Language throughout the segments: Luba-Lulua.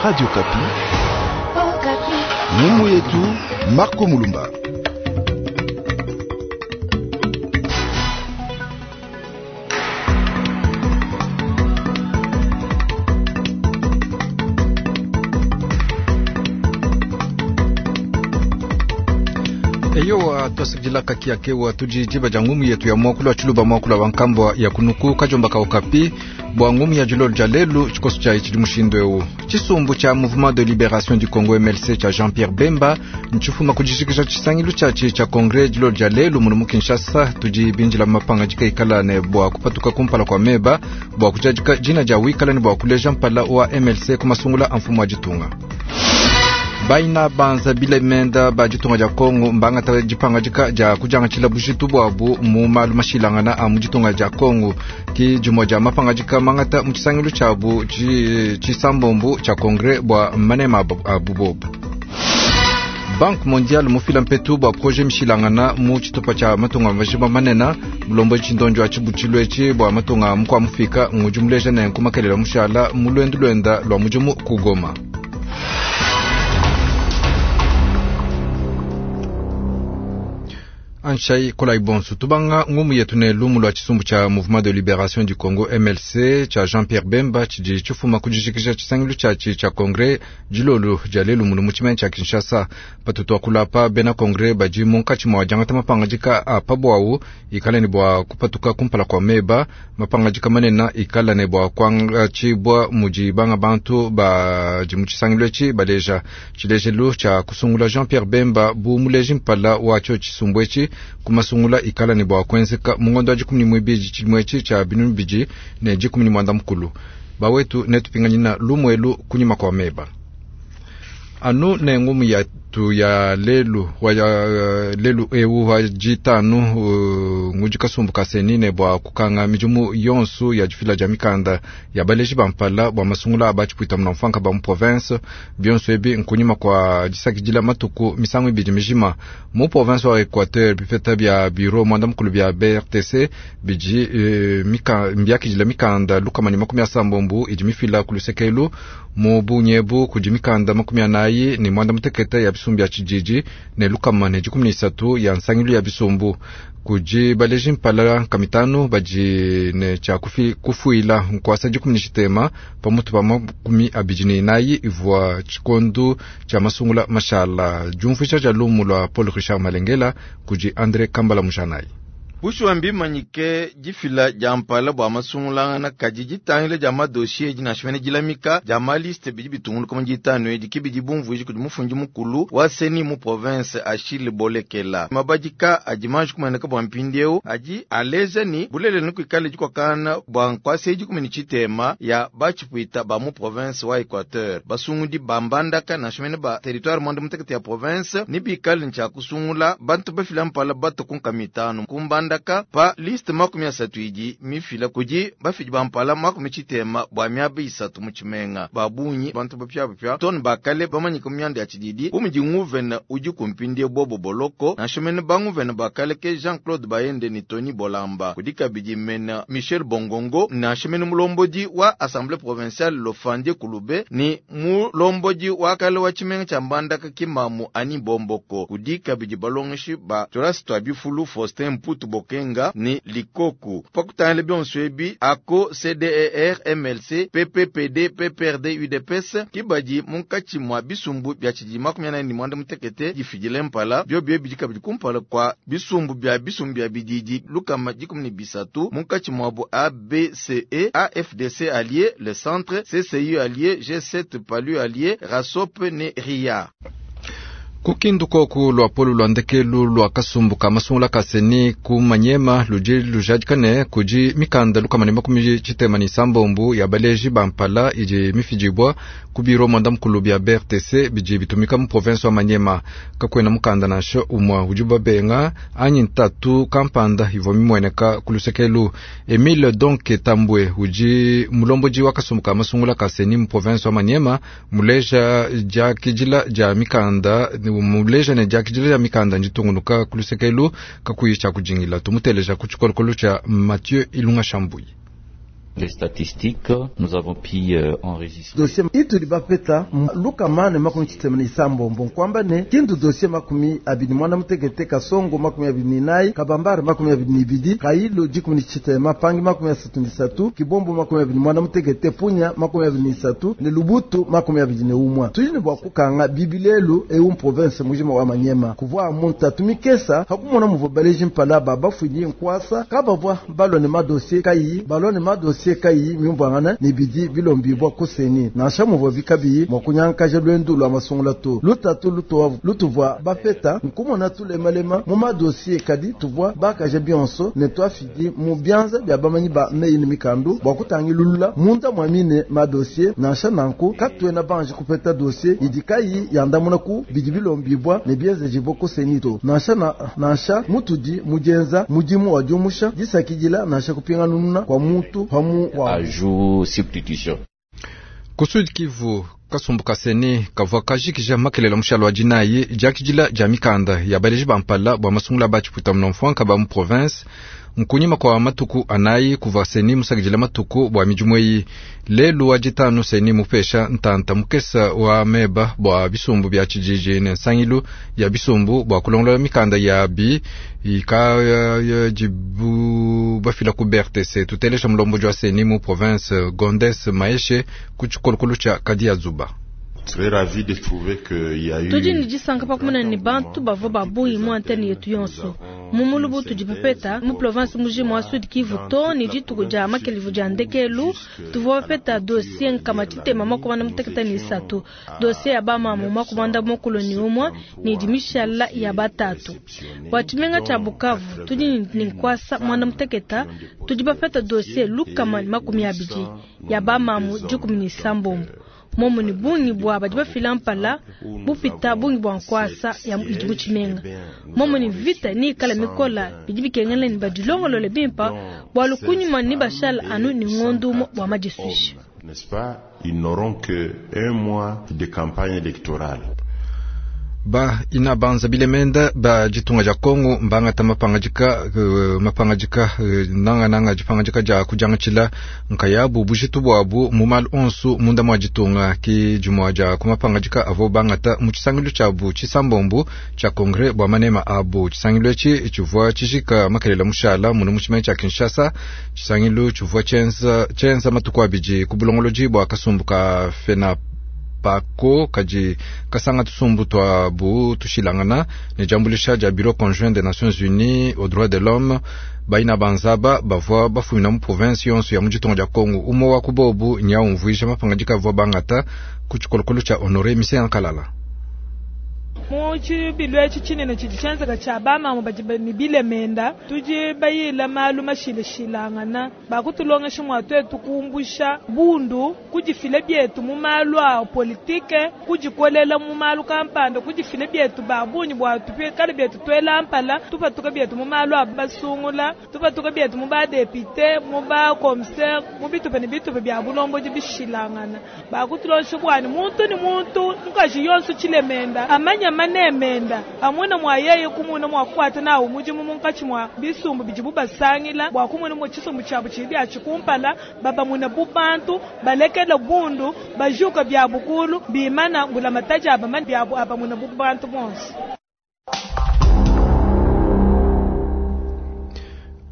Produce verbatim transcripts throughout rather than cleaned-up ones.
Radio Kapi. Ngumu yetu Marco Mulumba. Eyowa twasakidila kakiakewa tudi diba dia ngumu yetu ya muakulu wa tshiluba muakulu wa nkambua ya kunuku kajomba ka Okapi bua ngumu ya dilolo dia lelu tshikoso tshia tshidi mushindu eu. Tshisumbu tshia Mouvement de Liberation du Congo M L C tshia Jean-Pierre Bemba ntshifuma kudijikija tshisangilu tshiatshi tshia Congrès dilolo dia lelu muno mu Kinshasa. Tudi binjila mapanga dikaikala ne bua kupatuka kumpala kwa meba bua kujadika dina dia wikala ne bua kuleja mpala wa M L C ku masungula a mfumu wa ditunga. Baina banza bile menda ba ditunga dia Kongo mbangata dipanga dika dia kujangatshila bujitu bwabu mu malu mashilangana a mu ditunga dia Kongo ki jumwa dia mapanga dika mangata mu tshisangilu tshiabu tshisambombu tshia Congrès bua manema abu bobu. Banque mondiale mufila mpetu bua projet mishilangana mu tshitupa tshia matunga majima manena mulombo tshindonjo tshibutshilu etshi bua matunga mukwa mufika ngudi muleja ne nkumakelela mushala mu lwendu lwenda lwa mudimu ku Goma. Anshai kolai bonsu tubanga ngumu yetu ne lumu lwa tshisumbu tshia Mouvement de Liberation du Congo M L C tshia Jean-Pierre Bemba tshidi tshifuma kudijikija tshisangilu tshiatshi tshia Congrès dilolo dia lelu munu mu tshimenga tshia Kinshasa. Patutu akulapa bena Congrès badi munkatshi mua diangata mapangadika a pabwawu ikala ne bua kupatuka kumpala kwa meba mapangadika manene ikala ne bua kuangatshibua mudi banga bantu badi mu tshisangilu etshi baleja tshilejelu tshia kusungula Jean-Pierre Bemba bu muleji mpala wa tshio tshisumbu etshi kumasungula ikala ne bua kuenzeka mungondo wa dikumi ne muibidi tshimue tshia binunu bibidi ne dikumi ne mwanda mukulu. Bawetu netupinganyina lumuelu kunyima kwa meba. Anu ne ngumu yatu ya lelu wa ya lelu ewu wa jitanu uh, ngudi kasumbu kaseni ne bua kukanga midimu yonsu ya difila dia mikanda ya baleji bampala bua masungula abatshipwita muna mfanka ba mu province bionso ebi nkunyima kwa disakidila matuku misangu ibidi mijima mu province wa Equateur bipeta bia bureau mwanda mukulu bia B R T C bidi uh, mika, mbiakidila mikanda lukama ne makumi asambombu idi mifila kulusekelu mu bunyebu kudi mikanda makumi anayi ne mwanda mutekete ya bisumbu ya tshididi ne lukama ne dikumi ne isatu ya nsangilu ya bisumbu kudi baleji mpala kamitanu badi ne tshia kufuila nkuasa dikumi ne tshitema pamutu pa makumi abidi ne inayi ivua tshikondu tshia masungula mashala. Diumvuija dia lumu lua Paul Richard Malengela kudi André Kambala Mujanayi. Bushuwa mbimanyike difila dia mpala bua masungulangana kadi ditangila dia madossier dinashimene dilamika dia maliste bidi bitunguluka mu ditanu edi kibidi bumvuiji kudi mufundi mukulu wa seni mu province Achille Bolekela. Mabadika adi manji kumaneka bua mpindieu adi aleja ni bulele ni kuikala dikwakana bua nkwasa edi kumi ne tshitema ya batshipwita ba mu province wa Equateur. Basungudi ba mbandaka nashimene ba territoire mwanda mutekete ya province ni bikale ntshia kusungula bantu bafila mpala bato kunka mitanu kumbanda pa liste makumi asatu idi mifila kudi bafidi bampala makumi tshitema bua miaba isatu mu tshimenga. Babunyi bantu bapyabapya tone bakale bamanyika mu mianda ya tshididi bu mudi nguvena udi kumpindie bobo boloko nashimene banguvena bakale ke Jean-Claude Bayende ni Tony Bolamba kudi kabidi mena Michel Bongongo nashimene mulombodi wa Assemblée provinciale Lofandie Kulube ni mulombodi wa kale wa tshimenga tshia Mbandaka Kimamu Ani Bomboko kudi kabidi balongeshi ba Toras Twabifulu Faustin Mputu Kenga ni Likoku. Pakutangile bionso ebi ako C D E R M L C P P P D P P R D U D P S kibadi munkatshi mwa bisumbu bya tshidi makumi anayi ne mwanda mutekete difidile mpala bio bio bidi kabidi kumpala kwa bisumbu bya bisumbu bya bididi lukama dikumi ne bisatu munkatshi mwabo A B C E A F D C allié le centre C C U allié G sept Palu allié Rasop ne R I A. Kukindu koku lwa polu lwa ndekelu lwa kasumbu ka masungula kaseni ku manyema ludi lujadikane kudi mikanda lukama ne makumi tshitema ne sambombu ya baleji bampala idi mifidibua ku biro mwanda mukulu bia B R T C bidi bitumika mu province wa Manyema. Kakwena mukanda nansha umwa udi babenga anyi ntatu kampanda ivua mimueneka ku lusekelu. Emile Donke Tambwe udi mulombodi wa kasumbu ka masungula kaseni mu province wa Manyema muleja diakidila dia mikanda muleja ne diakidila dia mikanda nditungunuka ku lusekelu kakuyi tshia kujingila. Tumuteleja ku tshikolokolo tshia Mathieu Ilunga Shambuyi. Les statistiques, nous avons pu euh, enregistrer. Dossier ituli bapeta lukamane makumi chitema ni sambombo nkwamba ne kindu dossier makumi abini mwana mutekete kasongo makumi abini ninayi kabambara makumi abini nibidi kailo dikumi ni chitema pangi makumi asatu ni satu kibombo makumi abini mwana mutekete punya makumi abini ni satu ne lubutu makumi abini ne umwa tujini bwa kukanga bibilelu eu province mujima wa manyema kuvwa muntu tumikesa hakumona muvobaleji mpala baba fuyi nkwasa kabavwa balone madossier kayi balone madossier kayi myumbwangana ni bidi bilombibwa kuseni nansha muvua bikabiyi mwa kunyankaja lwendu lwa masungula to lutatu lutowa lutuvua bapeta nkumona tulemalema mu madossier kadi tuvua bakaja bionso ne twafidi mu byanza bya bamanyi ba meyi ni mikandu bwa kutangilulula munda mwamine madossier nansha nanku katwena banje kupeta dossier idi kayi yandamuna ku bidi bilombibwa ne byenzejibwa kuseni to nansha na, nansha mutudi mujenza mudimu wa diumusha disakidila nansha kupinganununa kwa mutu pamu Ajout substitution. Ku Sud Kivu kasumbu kaseni kavua kajikija makelela mushalo wa dinayi diakidila dia mikanda ya baleji bampala bua masungula ba tshipuita munomfuanka ba mu province nkunyima kwa matuku anayi kuva seni musakidila matuku bua midimu eyi lelu wa ditanu seni mupesha ntanta mukesa wa meba bua bisumbu bia tshididi ne nsangilu ya bisumbu bua kulongolola mikanda yabi ikadibu bafila ku B R T C. Tutelesha mulombodi wa seni mu province Gondes Maeshe ku tshikolokolo tshia Kadia Zuba. Tudi ni disanka pakumana ni bantu bavua babungi mu antene yetu yonso mumulubu tudi bapeta mu province mujima wa Sud Kivu to ni dituku dia makelivu dia ndekelu tuvua bapeta dossier nkama tshitema makumanda muteketa ni isatu dossier ya bamamu makumanda mokolo ni umwa ni dimishala ya batatu bua tshimenga tshia Bukavu tudi ni nkwasa mwanda muteketa tudi bapeta dossier lukama ni makumi abidi ya bamamu dikumi ni sambombo momo ni bungi bwa badi bafila mpala bupita bungi bwa nkwasa ya idi mu tshimenga momo ni vita ni ikala mikola bidi bikengela ni badilongolole bimpa bua lukunyuma ni bashala anu ni ngondu bua madisuisha. N'est-ce pas? Ils n'auront que un mois de campagne électorale. Ba ina banza bilemenda ba ditunga dia Kongo mbangata mapangajika uh, mapangajika uh, nanga nanga dipangajika dia kujangatshila nkayabu bujitu bwabu mu malu onso munda mwa ditunga ki dimua dia kumapangajika avo bangata mu tshisangilu tshiabu tshisambombu tshia congrès bua manema abu. Tshisangilu etshi tshivua tshijika makelela mushala munu mu tshimenga tshia Kinshasa. Tshisangilu tshivua tshienza tshienza matuku abidi ku bulongolodi bua kasumbu ka FENAP pako kadi kasanga tusumbu twabu tushilangana ne diambulisha dia bureau conjoint des Nations Unies aux droits de l'homme baina banzaba bavua bafumina mu province yonso ya mu ditunga dia Kongo. Umue wa kubobu nyaumvuija mapangadika avua bangata ku tshikolokolo tshia Honore Misenga Kalala. Mu tshibilu etshi tshinene tshidi tshienzeka tshia bamamu badi ne bilemenda tudi bayila malu mashilashilangana bakutulongesha mua tuetu kumbusha bundu kudifila bietu mu malu a politike kudikolela mu malu kampanda kudifila bietu babunyi bua tupikale bietu tuela mpala tupatuka bietu mu malu a basungula tupatuka bietu mu badepite mu bakomisere mu bitupa ne bitupa bia bulombodi bishilangana bakutulongesha bwani muntu ni muntu mukaji yonso tshilemenda amanya manemenda amuna mwa yeye kumuna mwa kukwata nawo mudimu munkatshi mwa bisumbu bidibu basangila bua kumuna mwa tshisumbu tshiabu tshidi atshikumpala babamuna bubantu balekela bundu bajuka bia bukulu bimana ngulamataji abamani biabu abamuna bubantu bonso.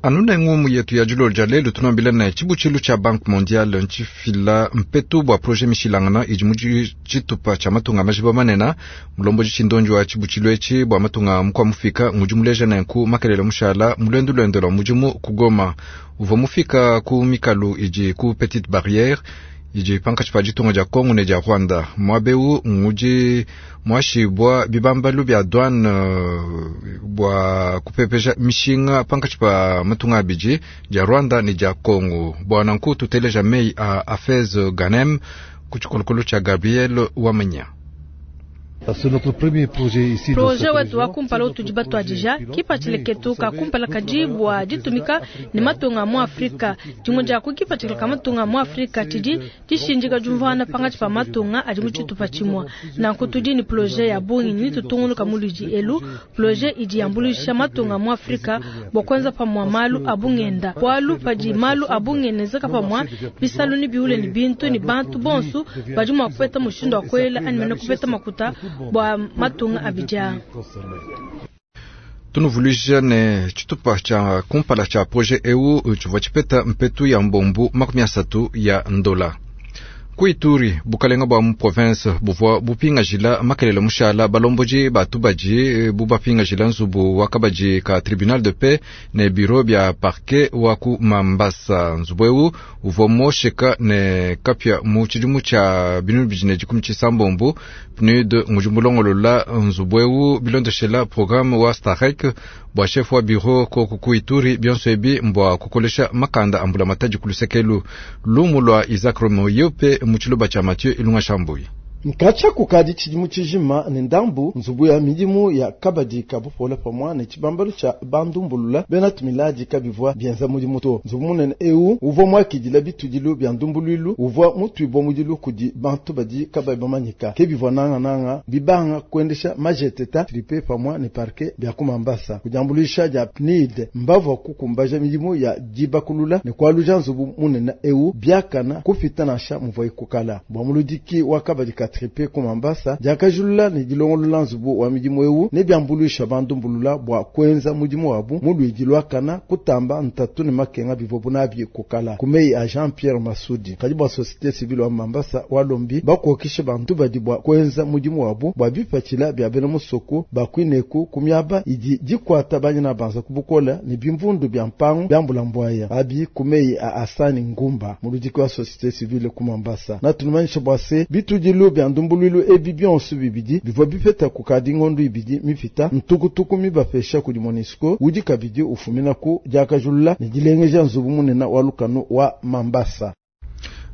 Anuna ngumu yetu ya julolo dia lelu tunambila ne tshibutshilu tshia Banque Mondiale ntshifila mpetu bua projet mishilangana idi mu tshitupa tshia matunga majiba manena mulombodi tshindonji wa tshibutshilu etshi bua matunga mukua mufika ngudi muleja nenku makelela mushala mulwendu lwendo lwa mudimu ku Goma uvua mufika ku mikalu idi ku Petite Barrière idi pankatshi pa ditunga dia Kongo ne dia Rwanda muabeu ngudi muashibua bibambalu bia douane bua kupepeja mishinga pankatshi pa matunga abidi dia Rwanda ne dia Kongo. Bua nanku tuteleja mei a Afez Ganem ku tshikolokolo tshia Gabriel Wamenya. Proje wetu wa kumpala utudi batuadija kipatshila ketu ka kumpala kadi bua ditumika ne matunga mu Afrika. Dimue dia ku kipatshila ka matunga mu Afrika tshidi dishindika diumvuangana pangatshi pa matunga adi mu tshitupa tshimue. Nanku tudi ne proje ya bungi ne tutungunuka mu ludi elu. Proje idi yambuluisha matunga mu Afrika bua kuenza pamue malu a bungenda. Bualu padi malu a bungenda enzeka pamue, bisalu ne biule ne bintu ne bantu bonso badi mua kupeta mushindu wa kuela anyi mene kupeta makuta bua matunga abidi. Tunuvuluija ne tshitupa tshia kumpala tshia projet eu tshivua tshipeta mpetu ya mbombu makumi asatu ya ndola. Ku Ituri, bukalenga bua mu province buvua bupingajila makelele mushala balomboji batubaji bubapingajila nzubu wa kabaji ka tribunal de paix ne bureau bia parquet wa ku Mambasa. Nzubu eu uvua mosheka ne kapia mu tshidimu tshia binunu bibidi ne dikumi tshisambombo. P N U D ngudi mulongolola nzubu eu bilondeshela programme wa Starek bua chef wa bureau koku ku Ituri bionso ebi mbua kukolesha makanda ambula matadi kulusekelu. Lumu lwa Isaac Romoyope mu tshiluba tshia Mathieu Ilunga Shambuyi. Nkatsha kukadi tshidimu tshijima ne ndambu nzubu ya midimu ya kabadi kabupola pamua ne tshibambalu tshia bandumbulula bena tumiladi kabivua bienza mudimu to. Nzubu munene eu uvua muakidila bitudilu bia ndumbuluilu uvua mutuibua mudilu kudi bantu badi kabayi bamanyika ke bivua nangananga bibanga kuendesha majeteta tripe pamua ne parquet bia ku Mambasa. Kudiambuluisha dia P N I D mbavua kukumbaja midimu ya dibakulula ne kualuja nzubu munene eu biakana kupita nansha muvua ikukala. Bua muludiki wa kabadi ka tripe ku Mambasa diakajulula ne dilongolola nzubu wa midimu eu ne biambuluisha bandumbulula bua kuenza mudimu wabu mu luidi lwakana kutamba ntatu ne makenga bivua nabi kukala. Ku meyi a Jean Pierre Masudi kadi bua société civile wa Mambasa walombi bakokishe bantu badi bua kuenza mudimu wabu bua bipatshila bia bena musoko bakwineku ku miaba idi dikwata banyina banza kubukola ne bimvundu bia mpangu byambula mbwaya abi ku meyi a Asani Ngumba muludiki wa société civile ku Mambasa. Natunumanyisha bua se bitudilu bia ndumbuluilu ebi bionso bibidi bivua bipeta kukadi ngondu ibidi mipita ntukutuku mibapesha kudi MONUSCO udi kabidi ufumina ku diakajulula ne dilengeja nzubu munene wa lukanu wa Mambasa.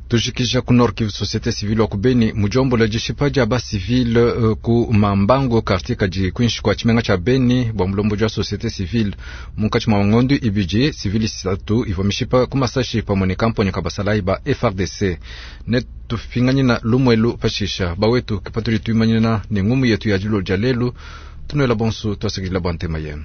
Tujikija ku Nord Kivu, société civile wa ku Beni mujombola dishipa dia ba civile uh, ku Mambango quartier kadi kwinshi kwa tshimenga tshia Beni bua mulomboji wa société civile munkatshi mua ngondu ibidi civile isatu ivua mishipa ku masashi pamue ne kamponya ka basalayi ba F R D C. Ne tupinganyina lumwelu pashisha bawetu kipatuli tuimanyina ne ngumu yetu ya dilo dia lelu tunuela bonso tuasakidila bua ntema yenu.